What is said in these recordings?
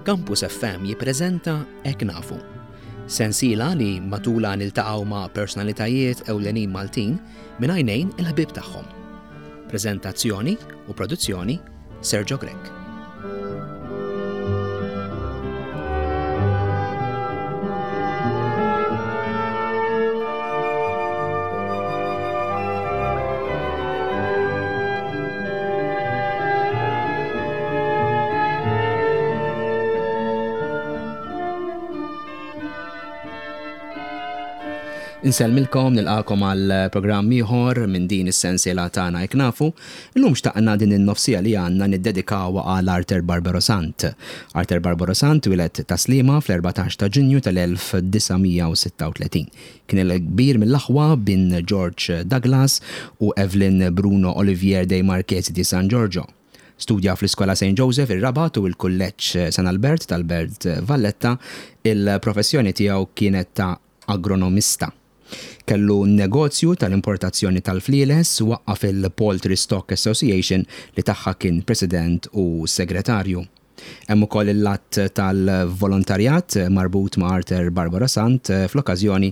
Campus FM jippreżenta Hekk Nafu. Sensiela li matulha niltaqgħu ma' personalitajiet ewlenin Maltin minn għajnejn il-ħbieb tagħhom. Preżentazzjoni u produzzjoni Sergio Grech. Insellmilkom nilqakom għal programm ieħor minn din is-sensiela tagħna hekk nafu. Illum xtaqna din in-nofsija li għandna niddedikawha għal Arthur Barbaro Sant. Arthur Barbaro Sant wieled Tas-Sliema fl-14 ta' Ġunju tal-1936. Kien il-kbir mill-aħwa bin George Douglas u Evelyn Bruno Olivier dei Marchesi di San Giorgio. Studja fl-Iskola Saint Joseph ir-Rabat u l-Kulleġġ San Albert tal-Belt Valletta. Il-professjoni tiegħu kienet ta' agronomista. Kellu negozju tal-importazzjoni tal-flieles, waqqaf il-Poultry Stock Association li tagħha kien president u segretarju. Hemm ukoll il-att tal-volontarjat marbut ma' Arthur Barbara Sant fl-okkażjoni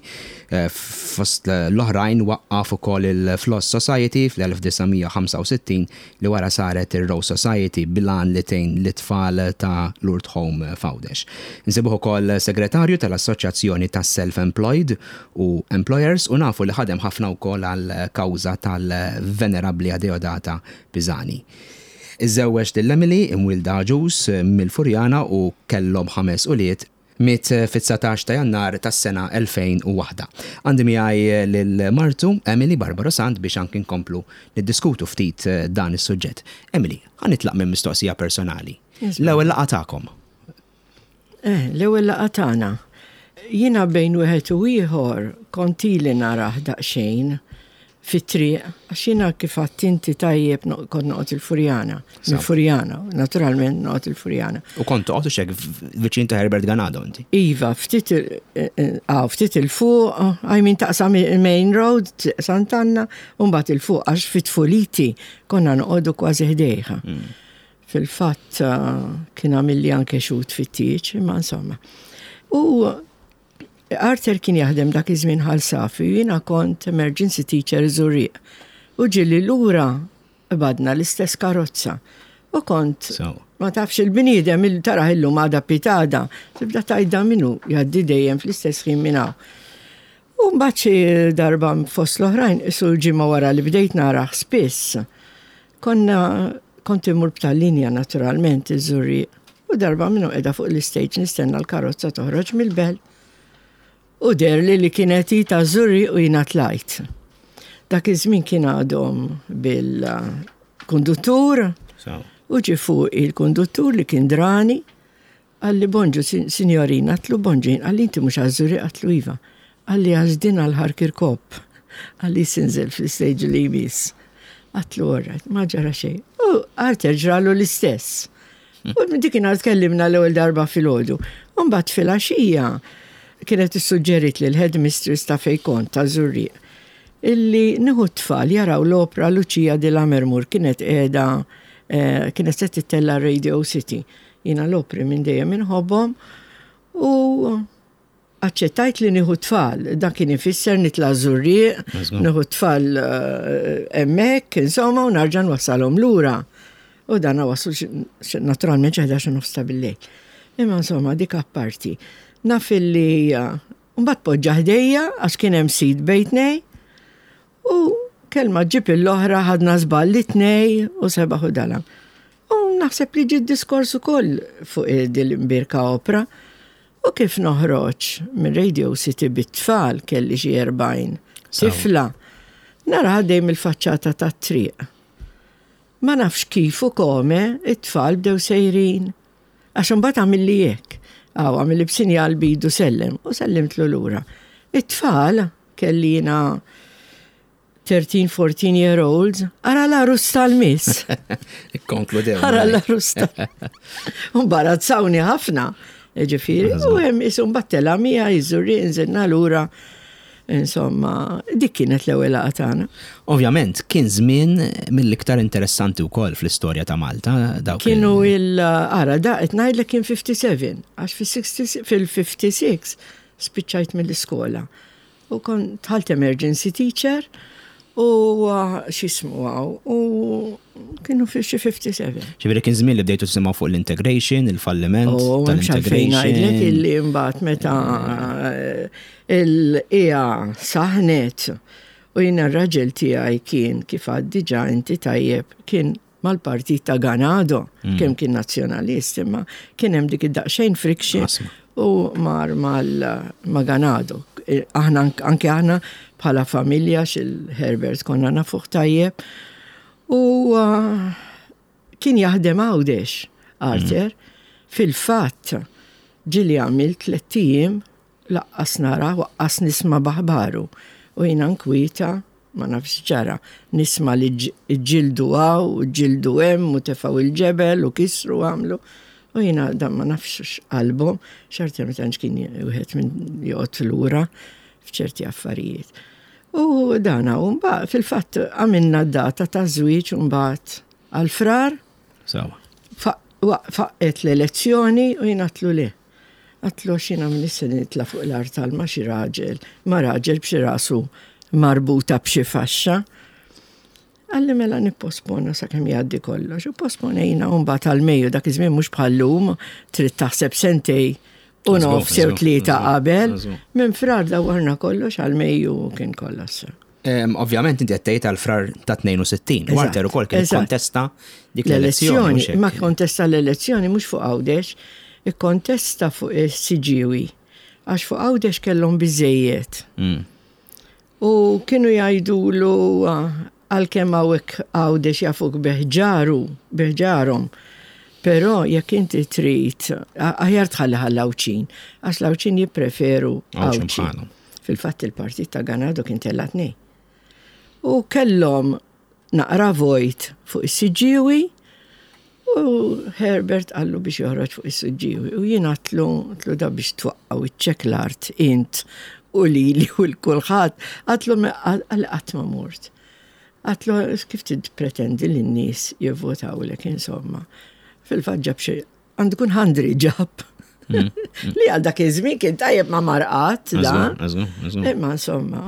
fost l-oħrajn waqqaf ukoll il-Floss Society fl-1965 li wara saret ir-Rose Society bil-għan li tgħin lit-tfal ta' Lourdes Home f'Għawdex. Insibuh ukoll segretarju tal-Assoċjazzjoni tas-Self Employed u Employers u nafu li ħadem ħafna wkoll għall-kawża tal-Venerabbli Adeodata Pisani. Iżżewweġ lil Emily, imwielda Agius, mill-Furjana u kellhom ħames ulied. Miet fit-19 ta' Jannar tas-sena 2001. Għandi miegħi lil martu, Emily Barbaro Sant biex anki nkomplu niddiskutu ftit dan is-suġġett. Emily, ħa nitlaq minn mistoqsija personali. L-ewwel laqgħa tagħkom. Eh, l-ewwel laqgħa tagħna. Jiena bejn wieħed u ieħor kont ili narah daqsxejn fit-triq, għax jiena kif għadt inti tajjeb kont noqgħod il-Furjana. Il-Furjana, naturalment noqgħod il-Furjana. U kont toqgħod u xek viċin ta' Herbert Ganado inti? Iva, ftit eh, eh, ftit il-fuq, I mean taqsam il-main road, Sant'Anna, u mbagħad il-fuq għax fit-tfuliti konna noqogħdu kważi ħdejha. Mm. Fil-fatt kien għamilli anke xut fit-tieġ, imma insomma. U Arthur kien jaħdem dak iż-żmien Ħal Safi u jiena kont emergency teacher Żurrieq. U ġieli lura qbadna l-istess karozza. U kont ma tafx il-bniedem il taraħ illum għada pitada, tibda tgħidha minnu jgħaddi dejjem fl-istess ħin minn hawn. U mbagħad xi darba fost l-oħrajn isu l-ġimgħa wara li bdejt narah spiss, Konna, kont immur b'tal-linja naturalment iż-Żurrieq u darba minnhom qiegħda fuq l-istage nistenna l-karozza toħroġ mill-belt u deherli li kienet hi taż-Żurrieq u jiena tlajt. Dak iż-żmien kien għadhom bil-konduttur u ġie fuqi l-konduttur li kien drani Qalli bonġu sinjorina, għedtlu bonġu jien, qalli inti mhux għaż-Żurrieq għedtlu iva. Qalli għax din għal Ħar Kirkop. Qalli sinżel fl-istage li jmiss. Għedtlu all right, ma ġara xejn. U Arthur ġralu l-istess. U minn dik inhar tkellimna l-ewwel darba filgħodu. U mbagħad filgħaxija kienet issuġġerit li l-headmistress ta' fejn kont ta' Żurrieq illi nieħu t-tfal jaraw l-opra Lucia di Lammermoor kienet qiegħda eh, kienet se tittella' Radio City. Jiena l-opri minn dejjem inħobbhom u aċċettajt li nieħu tfal. Dan kien ifisser nitla' żurrieq, nieħu tfal eh, hemmhekk, insomma, u narġa' nwassalhom lura. U dan waslu naturalment xi 11 nofs ta' billejl. Imma insomma dik apparti. Naf illi eh, mbagħad poġġa ħdejja għax kien hemm sit bejtnej U kelma ġġib il-oħra ħadna żball it-tnej u sebaħ u dalam. U naħseb li ġie diskors ukoll fuq din l-imbierka opra. U kif noħroġ minn Radio City bit-tfal kelli xi 40 tifla. Nara għaddej mill-faċċata tat-triq. Ma nafx kif u kome it-tfal bdew sejrin. Għax imbagħad għamilli hekk. Aw għamilli b'sinjal bidu sellem u sellimtlu lura. It-tfal Kelli jiena 13, 14 year olds, ara l-arus tal-miss. Ikkonkludew. Ara l-arus tal Imbarazzawni ħafna. Ġifieri, u hemm isu mbattela mija jiżurri nżilna lura. Insomma, dik kienet l-ewwel laqgħa tagħna. Ovvjament, kien żmien mill-iktar interessanti wkoll fl-istorja ta' Malta. Dawk Kienu il ara da qed ngħidlek kien 57, għax fil-56 spiċċajt mill-iskola. U kont dħalt emergency teacher u x'jismu hawn u kienu fi xi 57. Ġifieri kien żmien li bdejtu tisimgħu fuq l-integration, il-falliment oh, tal-integration. Ngħidlek illi mbagħad meta il-ija saħnet u jiena r-raġel tiegħi kien kif għad diġà inti tajjeb kien mal-partit ta' Ganado, mm. kemm kien nazzjonalist, imma kien hemm dik id-daqsxejn friction u mar ma' Ganado. E, aħna anke aħna bħala familja xil-Herbert konna nafuh tajjeb u uh, kien jaħdem Għawdex Arthur. Mm. Fil-fatt ġili għamil tlett ijiem Laqqas nara u aqqas nisma' b'aħbaru. U jiena nkwieta, ma nafx x'ġara. Nisma' li ġġieldu hawn u ġġieldu hemm u tefgħu l-ġebel u kisru u għamlu. U jiena dan ma nafx x'qalbhom, xorta ma tantx kien wieħed minn joqgħod lura f'ċerti affarijiet. U dan hawn mbagħad fil-fatt għamilna d-data taż-żwieġ u mbagħad għal Frar. Sewa. Faqqgħet l-elezzjoni u jien għedtlu le. Għedtlu għax jiena m'iniex se nitla' fuq l-artal ma' xi raġel, ma' raġel b'xi rasu marbuta b'xi faxxa. Qalli mela nipposponu sakemm jgħaddi kollox. U posponejna u mbagħad għal Mejju dak iż-żmien mhux bħal-lum trid taħseb sentej u nofs jew tlieta qabel. Minn Frar dawwarna kollox għal Mejju kien kollox. Ovvjament inti qed tgħid għal frar ta' 62. Walter ukoll kien kontesta dik l-elezzjoni. Ma kontesta l-elezzjoni mhux fuq Għawdex, ikkontesta fuq is-Siġġiewi. Għax fuq Għawdex kellhom biżejjed. Mm. U kienu jgħidulu għalkemm hawnhekk Għawdex jafuk biħġaru, biħġarhom. Però jekk inti trid, aħjar tħalli ħall-Għawdxin, għax l-Għawdxin jippreferu Għawdxin. Fil-fatt il-partit ta' Ganado kien tella' tnejn. U kellhom naqra vojt fuq is-Siġġiewi u Herbert qallu biex joħroġ fuq is-Siġġiewi. U jien għatlu, għatlu da biex twaqqgħu iċ-ċekk l-art int u lili u l-kulħadd. Għatlu għal qatt ma mort. Għatlu kif tippretendi li n-nies jivvotawlek insomma. Fil-fatt ġab xi Għandu kun ħandri ġab. Mm. Li għal dak iż-żmien kien tajjeb ma marqat da. Imma insomma.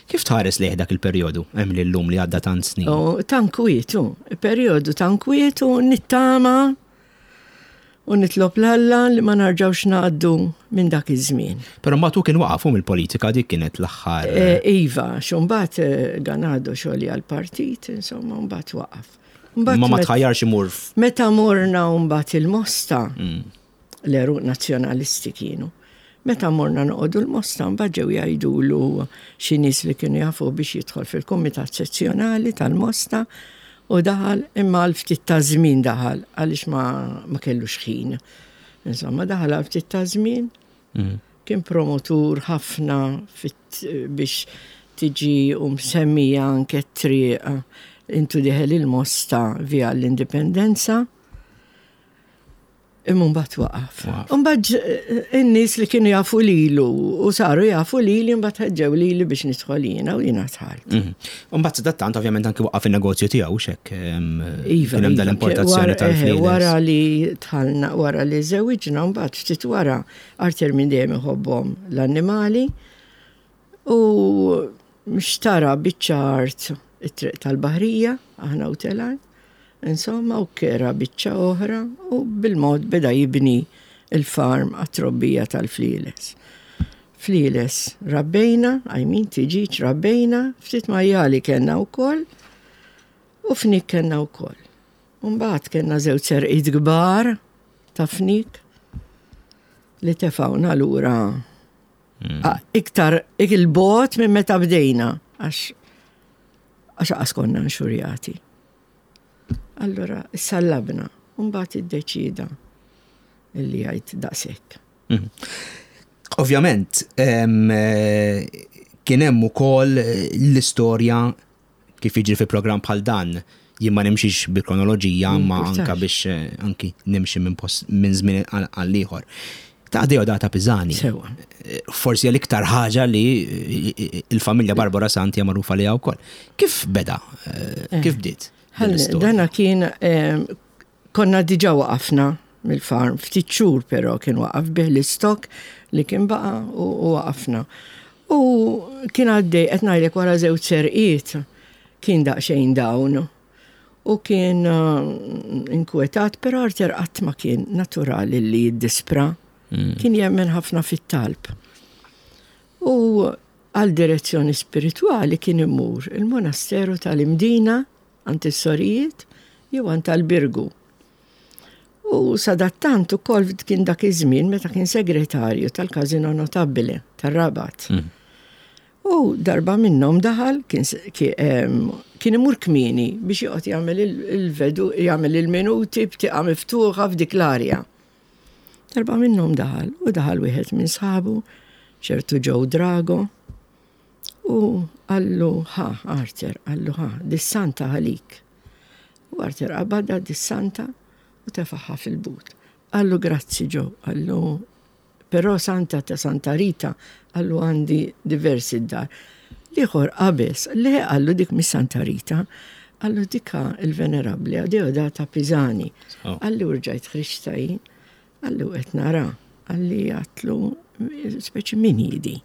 Kif tħares lejh dak il-perjodu hemm li llum li għadda tant snin? Oh, tankwitu, perjodu tankwitu nittama u nitlob l-Alla li ma narġawx ngħaddu minn dak iż-żmien. Però mbagħad hu kien waqaf mill-politika dik kienet l-aħħar. Eh, iva, xumbat eh, ganado xogħli għall-partit, insomma, mbagħad waqaf. Ma ma tħajjarx imur. Meta morna mbagħad il-Mosta, mm. l-eruq nazzjonalisti kienu. Meta morna noqogħdu l-Mosta mbagħad ġew jgħidulu xi nies li kienu jafu biex jidħol fil-kumitat sezzjonali tal-Mosta u daħal imma għal ftit ta' żmien daħal għaliex ma, ma kellux ħin. Insomma, daħal għal ftit ta' żmien. Mm. Kien promotur ħafna biex tiġi u msemmija anke t-triq intu diħel il-Mosta via l-Indipendenza. Imma mbagħad waqaf. Mbagħad eh, in-nies li kienu jafu lilu u saru jafu lili mbagħad ħeġġew lili biex nidħol jiena u jiena dħalt. Mhm. Mbagħad sadattant ovvjament anki waqaf in-negozju tiegħu x'hekk. Iva, kien hemm iva, dal-importazzjoni eh, tal-flieles. Wara li dħalna, wara li żewġna mbagħad ftit wara Arthur minn dejjem iħobbhom l-annimali u xtara biċċa art it-triq tal-Baħrija, aħna u telgħin, insomma, u kera biċċa oħra u bil-mod beda jibni il-farm għat-trobbija tal-flieles. Flieles rabbejna, I mean tiġiġ rabbejna, ftit majjali kellna wkoll u fnik kellna wkoll. Mbagħad kellna żewġ serqiet kbar ta' fnik li tefgħuna lura mm. iktar il-bot minn meta bdejna għax għax qas konna nxurjati. Allora, sallabna, mbagħad iddeċida illi jgħid daqshekk. Mm. Ovvjament, eh, kien hemm ukoll l-istorja Kif jiġri fi programm bħal dan, jien ma nimxix bi kronoloġija ma anka biex eh, anki nimxi minn post minn żmien għal ieħor. Ta' Deodata Pisani. Sewa. Forsi l-iktar ħaġa li il-familja Barbara Santi hija magħrufa liha wkoll. Kif beda? Eh. Kif bdiet? Dana kien konna diġà waqafna mill-farm, ftit xhur però kien waqaf bih l-istok li kien baqa' u waqafna. U kien għaddej qed ngħidlek wara żewġ serqiet kien daqsxejn dawn u kien inkwetat, però Arthur qatt ma kien naturali li jiddispra. Mm. Kien jemmen ħafna fit-talb. U għal direzzjoni spiritwali kien imur il-monasteru tal-Imdina għand is-sorijiet jew għand tal-Birgu. U sadattant ukoll kien dak iż-żmien meta kien segretarju tal-Casino Notabile tar-Rabat. Mm. U darba minnhom daħal kien kien imur kmieni biex joqgħod jagħmel il-vedu jagħmel il-minuti b'tieqa miftuħa f'dik l-arja. Darba minnhom daħal u daħal wieħed minn sħabu, ċertu Joe Drago, u qallu ħa Arthur, qallu ħa, dis-santa għalik. U Arthur qabadha dis-santa u tefaħħa fil-but. Qallu grazzi Joe, qallu Però santa ta' Santa Rita qallu għandi diversi d-dar. L-ieħor qabeż, le qallu dik mhix Santa Rita, qallu dika il-Venerabbli Adeodata Pisani. Oh. Qalli u rġajt ħriġta jien, qalli u qed nara, qalli għatlu speċi min hi di.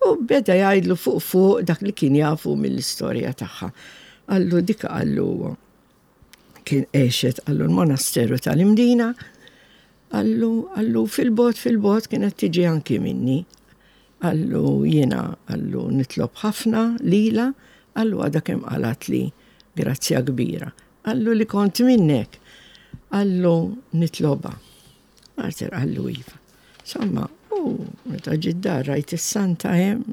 U beda jgħidlu fuq fuq dak li kien jafu mill-istorja tagħha. Qallu dika qallu kien għexet qallu l-monasteru tal-Imdina, qallu qallu fil-bogħod fil-bogħod kienet tiġi anki minni. Qallu jiena qallu nitlob ħafna lilha, qallu għadha kemm qalatli grazzja kbira. Qallu li kont minnek, qallu nitlobha. Arthur qallu iva. Insomma, u meta ġiet dar rajt is-santa hemm,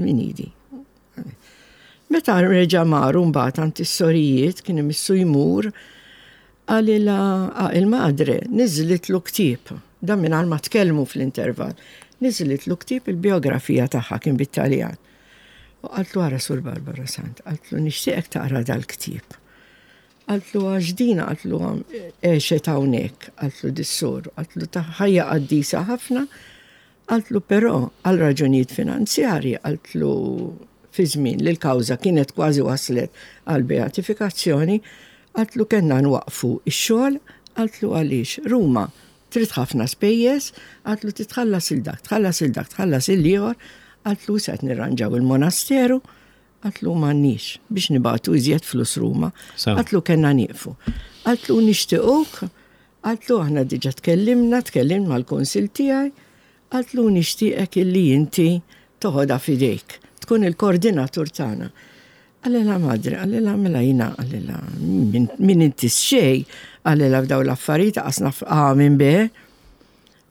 min idi. Meta reġa' mar mbagħad għand is-sorijiet kien imissu jmur qalilha il-madre niżlitlu ktieb, dan mingħajr ma tkellmu fl-intervall, niżlitlu ktieb il-bijografija tagħha kien bit-Taljan. U qaltlu ara Sur Barbara Sant, qaltlu nixtieqek taqra dal-ktieb. Qaltlu għax dina qaltlu għexet hawnhekk, qaltlu dis-sur, qaltlu ta' ħajja qaddisa ħafna, Qaltlu però għal raġunijiet finanzjarji, qaltlu fi żmien li l-kawża kienet kważi waslet għal beatifikazzjoni, qaltlu kellna nwaqqfu x-xogħol, qaltlu għaliex Ruma trid ħafna spejjeż, qaltlu trid tħallas 'il dak, tħallas 'il dak, tħallas 'il ieħor, qaltlu issa qed nirranġaw il-monasteru, qaltlu m'għandniex biex nibagħtu iżjed flus Ruma, qaltlu kellna nieqfu. Qaltlu nixtiequk Qaltlu aħna diġa tkellimna, tkellimt mal-kunsill tiegħi, qaltlu nixtieqek illi inti toħodha f'idejk, tkun il-koordinatur tagħna. Qalilha madre, qalilha mela jiena, qalilha min inti xejn, qalilha f'daw l-affarijiet qas naf A minn B.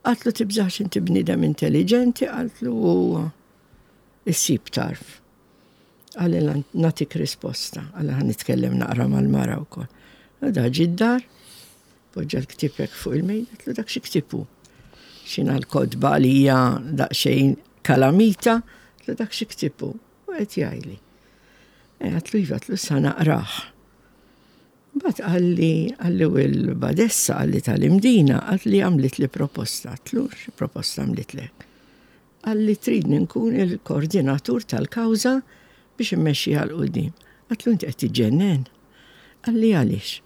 Qaltlu tibżax inti bniedem intelliġenti, qaltlu issib tarf. Qalilha nagħtik risposta, qalilha ħa nitkellem naqra mal-mara wkoll. U da ġie d-dar, poġġa l-ktieb hekk fuq il-mejda, għedtlu dak xi ktieb hu. X'inha l-kotba għalija daqsxejn kalamita, għedtlu dak xi ktieb hu. U qed jgħidli. E, għedtlu iva, għedtlu sa naqrah. Mbagħad qalli qalli u l-badessa qalli tal-Imdina qaltli għamlitli proposta, għedtlu xi proposta għamlitlek? Qalli tridni nkun il-koordinatur tal-kawża biex immexxiha 'l quddiem. Għedtlu inti qed tiġġennen. Qalli għaliex?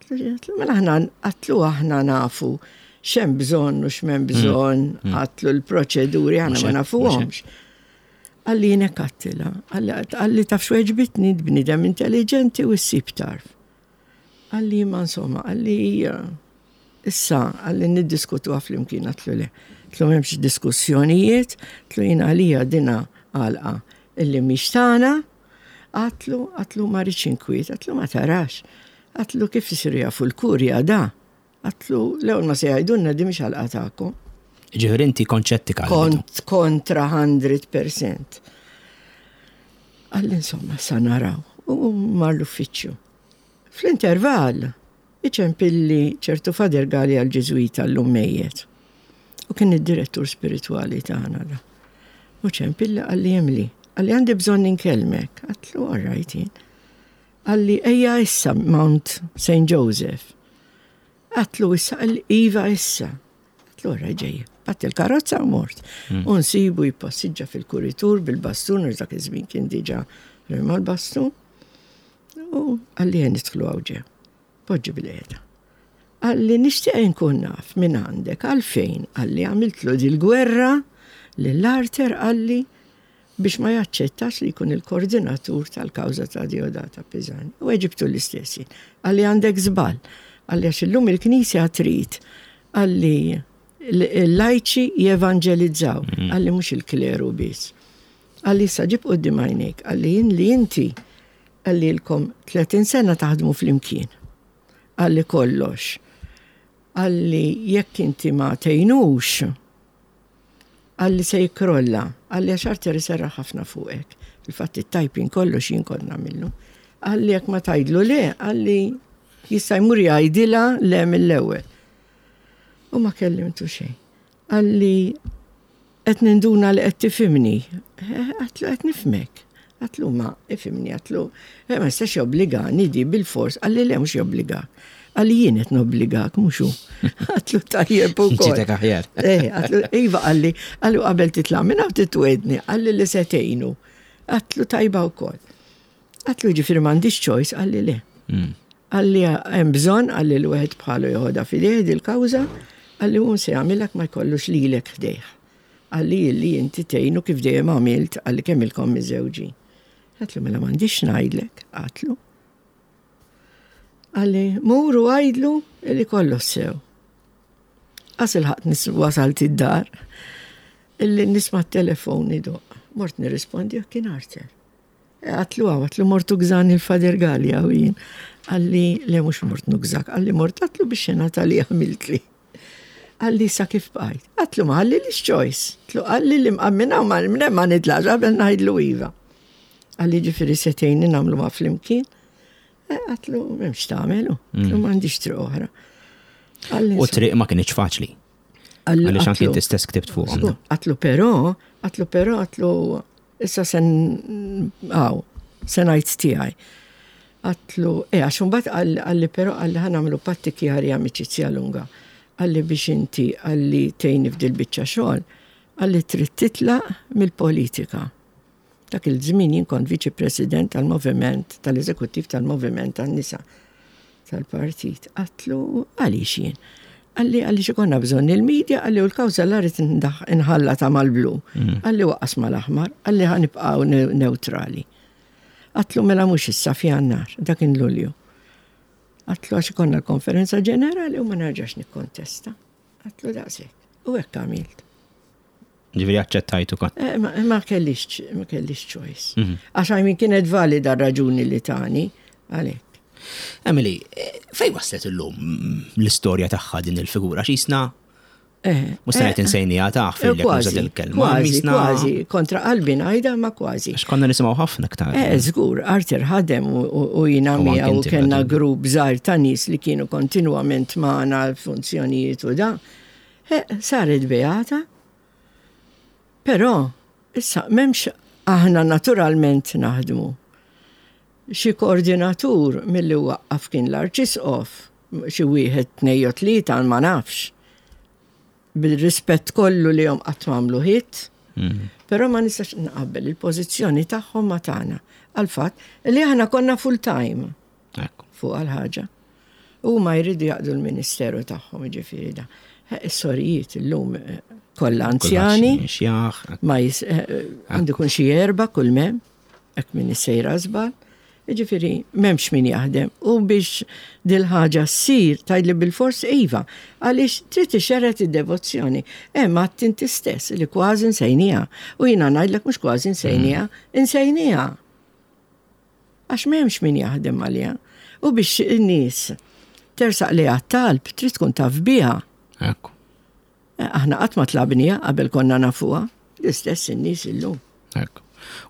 Għedtlu mela aħna għedtlu aħna nafu x'hemm bżonn u x'm'hemm bżonn, għedtlu l-proċeduri aħna ma nafuhomx. Qalli jien hekk għedtilha. Qalli taf x'weġbitni bniedem intelliġenti u ssib tarf. Qalli imma insomma, qalli issa, qalli niddiskutuha flimkien, għedtlu le. Għedtlu m'hemmx diskussjonijiet, għedtlu jien għalija dina għalqa illi mhix tagħna, għedtlu, għedtlu ma rridx inkwiet, għedtlu ma tarax. Għedtlu kif isiru jafu l-kurja da? Għedtlu l-ewwel ma se jgħidulna di mhix għalqa tagħkom. Ġifieri inti kont xettika. Kont kontra 100%. Qalli insomma sa naraw. U mar l-uffiċċju. Fl-intervall, iċempilli ċertu Father Galea l-Ġiżwita llum mejjet. U kien id-direttur spiritwali tagħna da. U ċempilli qalli Emily, qalli għandi bżonn inkellmek. Għedtlu all right jien. Qalli ejja issa Mount St. Joseph. Għedtlu issa, qalli iva issa. Għedtlu all right ġejja. Qbadt il-karozza u mort. U nsibu jippassiġġa fil-kuritur bil-bastun, għax dak iż-żmien kien diġà rema l-bastun. U qalli ejja nidħlu hawn ġew. Poġġi bil-qiegħda. Qalli nixtieq inkun naf minn għandek għalfejn qalli għamiltlu dil-gwerra lil Arthur qalli biex ma jaċċettax li jkun il-koordinatur tal-kawża ta' Diodata Pisani. U weġibtu l-istess jien. Qalli għandek żball. Qalli għax illum il-Knisja trid qalli l-lajċi jevanġelizzaw. Qalli mhux il-kleru biss. Qalli issa ġib quddiem għajnejk. Qalli jien li inti qalli ilkom 30 sena taħdmu flimkien. Qalli kollox. Qalli jekk inti ma tgħinux, Qalli se jikkrolla. Qalli għax Arthur iserraħ ħafna fuqek. Fil-fatt it-typing kollox jien kont nagħmillu. Qalli jekk ma tgħidlu le, qalli jista' jmur jgħidilha le mill-ewwel. U ma kellimtu xejn. Qalli qed ninduna li qed tifhimni. Għatlu qed nifhmek. Għatlu ma ifhimni, għatlu eh, ma jistax jobbligani di bil-fors, qalli le mhux jobbligak. Qalli jien qed nobbligak mhux hu. Għatlu tajjeb ukoll. Ġitek aħjar. Eh, għatlu iva qalli, qallu qabel titla' minn hawn titwedni, qalli li se tgħinu. Għatlu tajba wkoll. Għatlu ġifieri m'għandix choice, qalli le. Qalli hemm bżonn, qalli li wieħed bħalu joħodha f'idejh dil-kawża, qalli hu se jagħmilek ma jkollux lilek ħdejh. Qalli illi inti tgħinu kif dejjem għamilt, qalli kemm ilkom miżżewġin. Għatlu mela m'għandix ngħidlek, għatlu. Qalli mur u għidlu illi kollox sew. Qas ilħaqt wasalt id-dar illi nisma' t-telefon idoqq. Mort nirrispondi u kien Arthur. Għatlu għaw, għatlu mort ugżan il-Fader Gallia u jien. Qalli le mhux mort nugżak, qalli mort għatlu biex xena li għamiltli. Qalli sa kif bqajt. Għatlu ma ħalli li choice. Tlu qalli li mqammina u ma ma nitlax qabel ngħidlu iva. Qalli ġifieri se tgħinni nagħmlu ma flimkien. Eh, għatlu m'hemmx tagħmelu. Għatlu m'għandix triq oħra. U triq ma kienx faċli. Għaliex anki inti stess ktibt fuqhom. Għatlu però, għatlu però, għatlu issa sen għaw, se ngħid tiegħi. Għatlu, e għax imbagħad qalli però qalli ħa nagħmlu patti chiari amicizia lunga. Qalli biex inti qalli tgħinni f'dil biċċa xogħol, qalli trid titlaq mill-politika. Dak il-żmien jien kont viċi president tal-moviment, tal-eżekuttiv tal-moviment tan-nisa tal-partit. Għatlu għaliex jien? Qalli għaliex ikollna bżonn il-media, qalli u l-kawża la rrid inħallata mal-blu. Qalli waqqas mal-aħmar, qalli ħa nibqgħu neutrali. Għatlu mela mhux issa f'Jannar, dak kien Lulju. Għatlu għax ikollna l-konferenza ġenerali u ma nerġax nikkontesta. Għatlu daqshekk. U hekk għamilt. Ġifieri aċċettajt ukoll. Eh, ma kellix ma kellix choice. Mhm. Għax għajmin kienet valida r-raġuni li tani għalhekk. Emily, eh, fej waslet illum l-istorja tagħha din il-figura x'isna Eh, Mhux se ngħid eh, insejniha taħ fil Kważi, il-kelma. Kważi, kważi, kontra qalbi ngħidha ma kważi. Għax konna nisimgħu ħafna aktar. Eh, żgur, Arthur ħadem u jiena miegħu kellna grupp żgħir ta' nies li kienu kontinwament magħna l-funzjonijiet u da. Eh, saret beata. Però, issa m'hemmx aħna naturalment naħdmu. Xi koordinatur milli waqqaf kien l-Arċisqof, xi wieħed, tnej jew tlieta ma nafx. Bil-rispett kollu li jom qatt m'għamlu hit, però ma nistax nqabbel il-pożizzjoni tagħhom ma tagħna għall-fatt li aħna konna full time fuq għal-ħaġa. Huma jridu jaqdu l-ministeru tagħhom ġifieri da. Eh, is-sorijiet illum eh, kollha anzjani. Ma eh, għandu kun xi erba' kull mem. Hekk minni sejra żball. Jiġifieri m'hemmx min jaħdem u biex dil-ħaġa ssir tgħidli bilfors iva, għaliex trid ixerred id-devozzjoni. Hemm għadt inti stess li kważi nsejnieha. U jiena ngħidlek mhux kważi nsejnieha, insejnieha. Għax m'hemmx min jaħdem għaliha. U biex in-nies tersaq lejha t-talb trid tkun taf biha. Ekku. Eh, aħna qatt ma tlabniha qabel konna nafuha, l-istess in-nies illum. Ekku.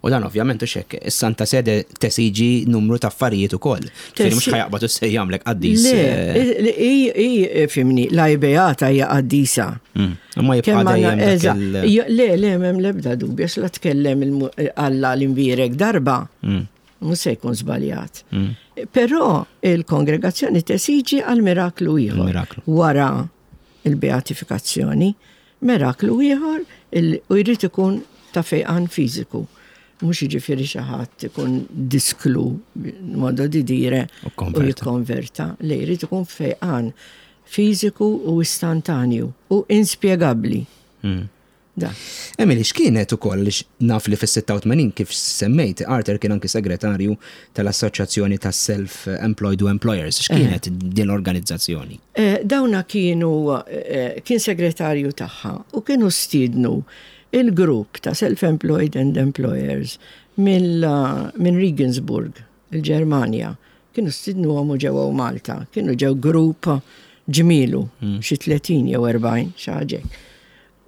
U dan ovvjament u xek, is-Santa Sede tesiġi numru ta' affarijiet ukoll. Ġifieri mhux ħajaqbad u se jagħmlek qaddis. Le, eh, fimni, la beata hija qaddisa. Mm. Ma jibqa' dejjem. Le, le, m'hemm l-ebda dubju, la tkellem Alla l-imbierek darba. Mm. Mhux se jkun żbaljat. Mm. Però il-kongregazzjoni tesiġi għal miraklu ieħor. Wara il-beatifikazzjoni. Meraklu ieħor u jrid ikun ta' fejqan fiżiku. Mhux jiġifieri xi ħadd ikun disklu modo di dire u jikkonverta. Le jrid ikun fejqan fiżiku u istantanju u inspjegabbli. Hmm. Da. Emily, x'kienet ukoll għaliex naf li fis-86 kif semmejt, Arthur kien anki segretarju tal-Assoċjazzjoni tas-Self Employed u Employers. X'kienet eh. din l-organizzazzjoni? Eh, dawna kienu eh, kien segretarju tagħha u kienu stiednu il-grupp ta' Self-Employed and Employers minn Regensburg, il-Ġermanja. Kienu stidnuhom u ġew Malta. Kienu ġew grupp ġmielu, hmm. xi 30 jew 40 xi ħaġa.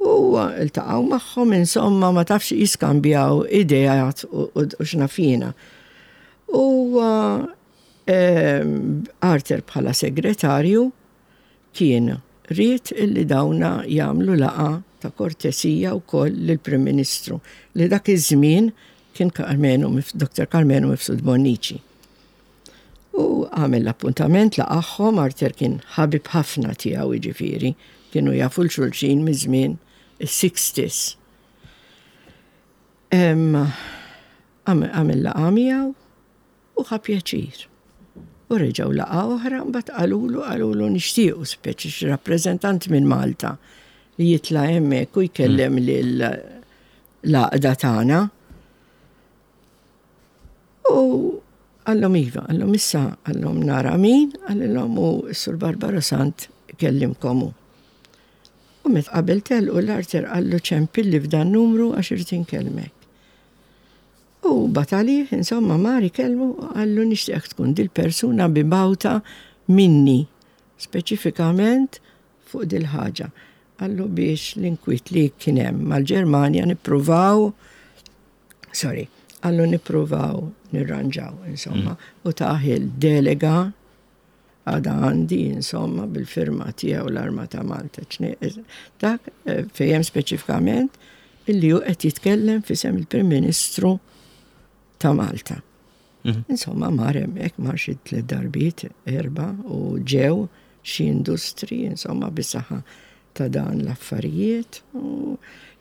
U ltaqgħu magħhom insomma ma tafx jiskambjaw ideat u x'nafina. U ehm, Arthur bħala segretarju kien ried illi dawna jagħmlu laqgħa ta' kortesija wkoll lill-Prim Ministru li dak iż-żmien kien Karmenu Dr. Karmenu Mifsud Bonnici. U għamel l-appuntament laqagħhom, Arthur kien ħabib ħafna tiegħu jiġifieri, kienu jafu 'l xulxin miż-żmien is-sixties. Għamel laqgħa miegħu u ħa pjaċir. U reġgħu laqgħa oħra mbagħad qalulu qalulu nixtiequ speċi xi rappreżentant minn Malta li jitla' hemmhekk u jkellem mm. lil l-għaqda tagħna. U qallhom iva, qallhom issa qallhom nara min, qalilhom u s-Sur Barbaro Sant ikellimkom hu. U met qabel telqu l-Arthur qallu ċempilli f'dan numru għax irrid inkellmek. U bagħat għalih, insomma mar ikellmu u qallu nixtieqek tkun dil-persuna mibgħuta minni speċifikament fuq dil-ħaġa. Qallu biex l-inkwiet li kien hemm mal-Ġermanja nippruvaw sorry, għallu nippruvaw nirranġaw, insomma, mm. u taħil delega għada għandi, insomma, bil-firma tiegħu l-Arma ta' Malta. Dak eh, fejjem speċifikament illi hu qed jitkellem fisem il-Prim Ministru ta' Malta. Mhm. Insomma, mar hemmhekk mar xi tliet darbiet, erba' u ġew xi industri, insomma, bis-saħħa ta' dan l-affarijiet. U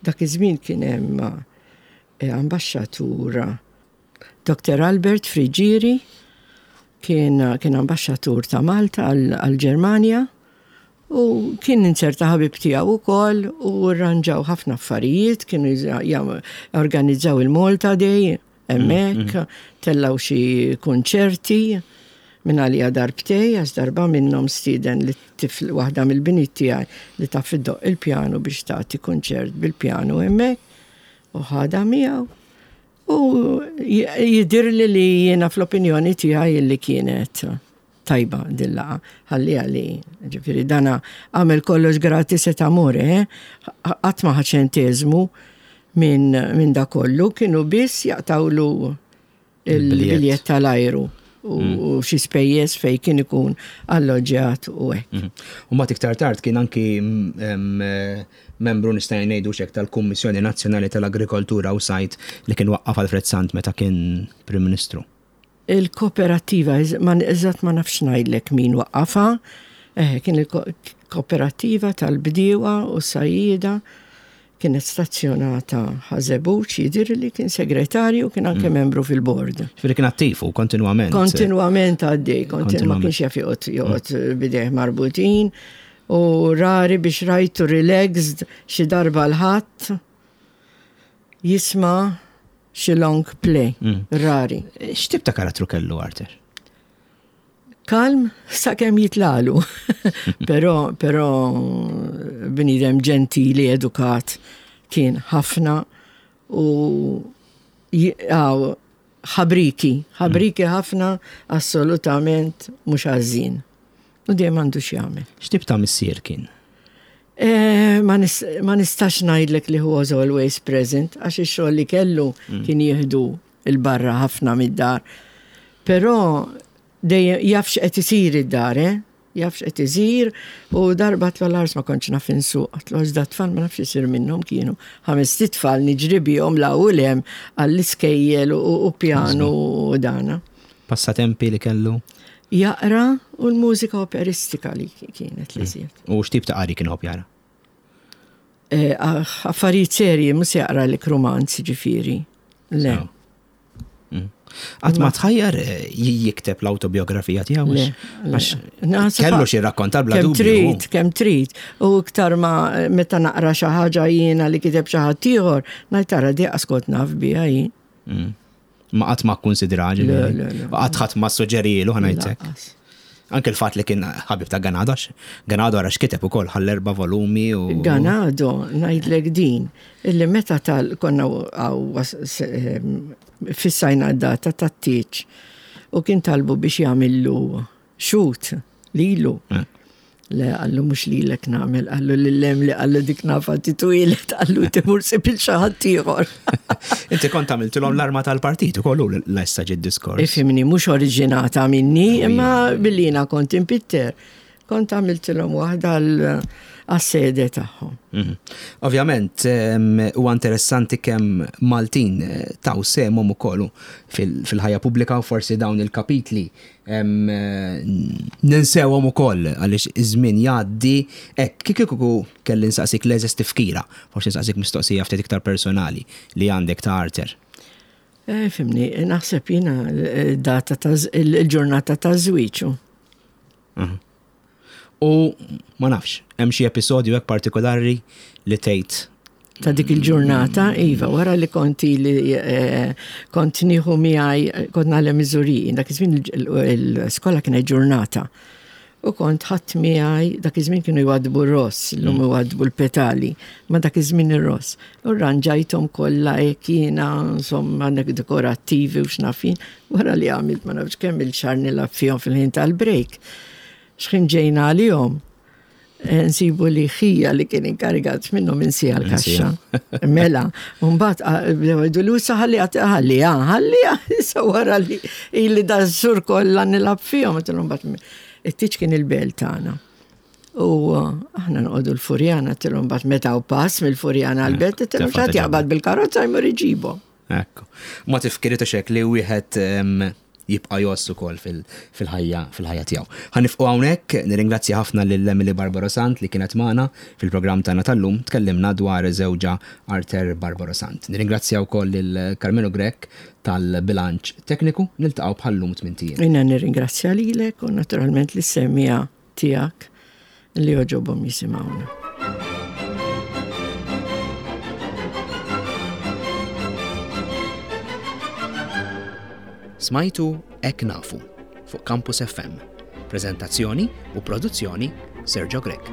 dak iż-żmien kien hemm eh, ambaxxatur Dr. Albert Friġieri kien, kien ambaxxatur ta' Malta għall-Ġermanja u kien inzerta ħabib tiegħu wkoll u rranġaw ħafna affarijiet, kienu organizzaw il-Malta Day hemmhekk, mm, mm. tellaw xi kunċerti minn għalija darbtej, għax darba minnhom stieden li tifl waħda mill-biniet tiegħi li taf iddoqq il-pjanu biex tagħti kunċert bil-pjanu hemmhekk u ħadha miegħu. U jidhirli li jiena fl-opinjoni tiegħi li kienet tajba din laqgħa. Ħalliha li, ġifieri dana għamel kollox gratis et amore, eh? Qatt ma ħa ċenteżmu minn min da kollu, kienu biss jaqtawlu il-biljett tal-ajru u mm. xi spejjeż fejn kien ikun alloġġjat u hekk. Mm. U mbagħad iktar tard kien anki mm, eh, membru nista' ngħidu xek tal-Kummissjoni Nazzjonali tal-Agrikoltura u Sajt li kien waqqaf Alfred Sant meta kien Prim Ministru. Il-kooperattiva, eżatt ma nafx ngħidlek min waqqafha, eh, kien il-kooperattiva tal-bdiewa u s-sajjieda kienet stazzjonata Ħażebbuġ, jidhirli kien segretarju, kien anke mm. membru fil-bord. Ġifieri kien attiv u kontinwament. Kontinwament għaddej, ma kienx jaf joqgħod joqgħod mm. bidejh marbutin u rari biex rajtu relaxed xi darba l-ħadd jisma' xi long play, mm. rari. X'tip ta' karattru kellu Arthur? Kalm sakemm jitlalu. Però però bniedem ġentili, edukat kien ħafna u għaw ħabriki, ħabriki ħafna assolutament mhux għażin. U dejjem għandu x'jagħmel. X'tip ta' missier kien? Eh, ma nistax ngħidlek li was always present għax ix-xogħol li kellu mm. kien jieħdu il-barra ħafna mid-dar. Però dejjem jaf x'qed isir id-dar, eh? Jaf x'qed isir u darba tlu l-ars ma kontx naf insuq, għatlu għax da tfal ma nafx isir minnhom kienu. Ħames tfal niġri bihom la u lem għall-iskejjel u pjanu u dana. Passatempi li kellu? Jaqra u l-mużika operistika li kienet li mm. U x'tip ta' qari kien jara? Eh, affarijiet serji mhux se jaqra lek romanz ġifieri. Le. Mm. Qatt ma tħajjar eh, jikteb l-autobiografija tiegħu għax kellu xi rakkontar bla dubju. Kemm trid, kemm trid. U iktar ma meta naqra xi ħaġa jiena li kiteb xi ħadd ieħor, ngħid tara di kont naf biha jien. Mm. Ma qatt ma kkunsidra ġifieri. Qatt ħadd ma suġġerilu ħanajtek. Anke l-fatt li kien ħabib ta' Ganado, Ganado għara x'kiteb ukoll ħall erba' volumi u. Ganado, ngħidlek din, illi meta tal konna fissajna d-data tat-tieġ u kien talbu biex jagħmillu xut lilu. Eh. Le, għallu mux lilek namel, għallu lillem li għallu dik nafa titwilet, għallu timur sib il-xaħat ieħor. Inti kont għamiltilhom l-arma tal-partit ukoll l-essa ġid diskors. Ifimni, mhux oriġinata minni, imma billina kont impitter. Kont għamiltilhom waħda għas-sede tagħhom. Mhm. Ovvjament, huwa interessanti kemm Maltin eh, taw sehemhom ukoll fil-ħajja pubblika u forsi dawn il-kapitli Ninsewhom ukoll għaliex iż-żmien jgħaddi hekk. Kieku kelli nsaqsik l-eżeż tifkira, forsi nsaqsik mistoqsija ftit iktar personali li għandek ta' Arthur. Eh, fimni, naħseb jiena data ta' il-ġurnata ta' żwieġu. Mhm. U ma nafx, hemm xi episodju hekk partikolari li tgħid ta' dik il-ġurnata, iva, wara li konti li eh, kont nieħu miegħi kont nagħlem miżuri, dak iż-żmien l-iskola kienet ġurnata. U kont ħadd miegħi dak iż-żmien kienu jwadbu ross, illum mm. jwadbu l-petali, ma dak iż-żmien ir-ross. U rranġajthom kollha hekk jiena, insomma, dekorattivi u x'nafin, wara li għamilt ma nafx kemm il-xahar nilgħab fihom fil-ħin tal-break. X'ħin ġejna għalihom, eh, nsibu li ħija li kien inkarigat minnhom insija l-kaxxa. Mela, mbagħad ah, bdew jgħidu li issa ħalli ħalli ħalli issa wara li ili da sur kollha nilgħab fihom, mbagħad it-tiġ kien il-belt tagħna. U eh, aħna noqogħdu l-Furjana tilhom mbagħad meta u pass mill-Furjana għall-belt, tilhom x'għad jaqbad bil-karozza jmur iġibu. Ekku. Ma tifkiri ta' xek li wieħed jibqa' jgħożż ukoll fil-ħajja fil-ħajja tiegħu. Ħa nifqu hawnhekk, nirringrazzja ħafna lil Emily Barbaro Sant li kienet magħna fil-programm tagħna tal-lum, tkellimna dwar żewġha Arthur Barbaro Sant. Nirringrazzja wkoll lil Karmenu Grech tal-bilanċ tekniku, niltaqgħu bħal-lum tmint ijiem. Jiena nirringrazzja lilek u naturalment lis-semmiegħa tiegħek li jogħġobhom jisimgħuna. Smajtu Hekk Nafu fuq Campus FM. Preżentazzjoni u produzzjoni Sergio Grech.